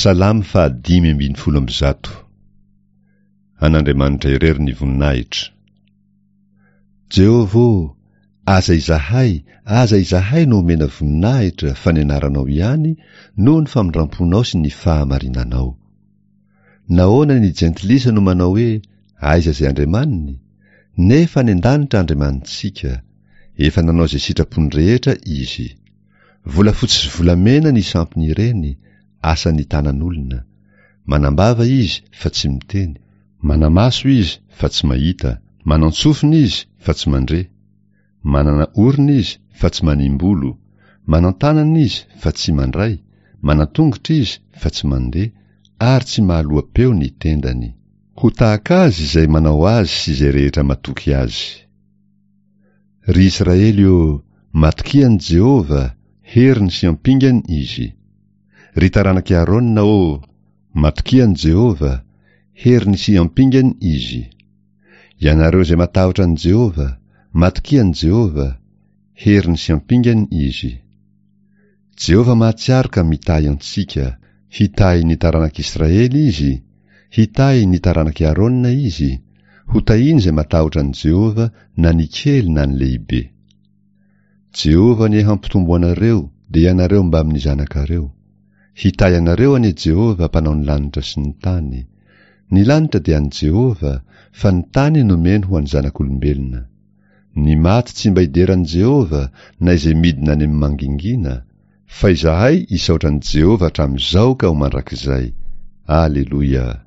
Salamo faha 115. An'Andriamanitra irery ny voninahitra. Jehovah ô, aza izahay, aza izahay no omena voninahitra fa ny anaranao ihany noho ny famindramponao sy ny fahamarinanao. Nahoana ny jentilisa no manao hoe aiza izay Andriamaniny? Nefa any an-danitra Andriamanitsika. Efa nanao izay sitrapony rehetra Izy. Volafotsy sy volamena ny sampiny ireny, asan'ny tanan'olona. Manam-bava izy fa tsy miteny, mana-maso izy fa tsy mahita, manan-tsofina izy fa tsy mandre, manana orona izy fa tsy manimbolo, manan-tanana izy fa tsy mandray, manan-tongotra izy fa tsy mandeha, ary tsy mahaloa-peo ny tendany. Ho tahaka azy izay manao azy sy izay rehetra matoky azy. Ry Israely ô, matokia an'i Jehovah, heriny sy ampingany izy. Ry taranak'i Arona ô, matokia an'i Jehovah, heriny sy ampingany izy. Ianareo izay matahotra an'i Jehovah, matokia an'i Jehovah, heriny sy ampingany izy. Jehovah mahatsiaro ka mitahy antsika, hitahy ny taranak'Israely izy, Hitahy ny taranak'i Arona izy, hotahiny izay matahotra an'i Jehovah na ny kely na ny lehibe. Jehovah anie hampitombo anareo, dia ianareo mbamin'ny zanakareo. Hitahy anareo anie Jehovah mpanao ny lanitra sy ny tany. Ny lanitra dia an'i Jehovah, fa ny tany nomeny ho an'ny zanak'olombelona. Ny maty tsy mba hidera an'i Jehovah na izay midina any amin'ny mangingina, Fa izahay hisaotra an'i Jehovah hatramin'izao ka ho mandrakizay. Aleloia!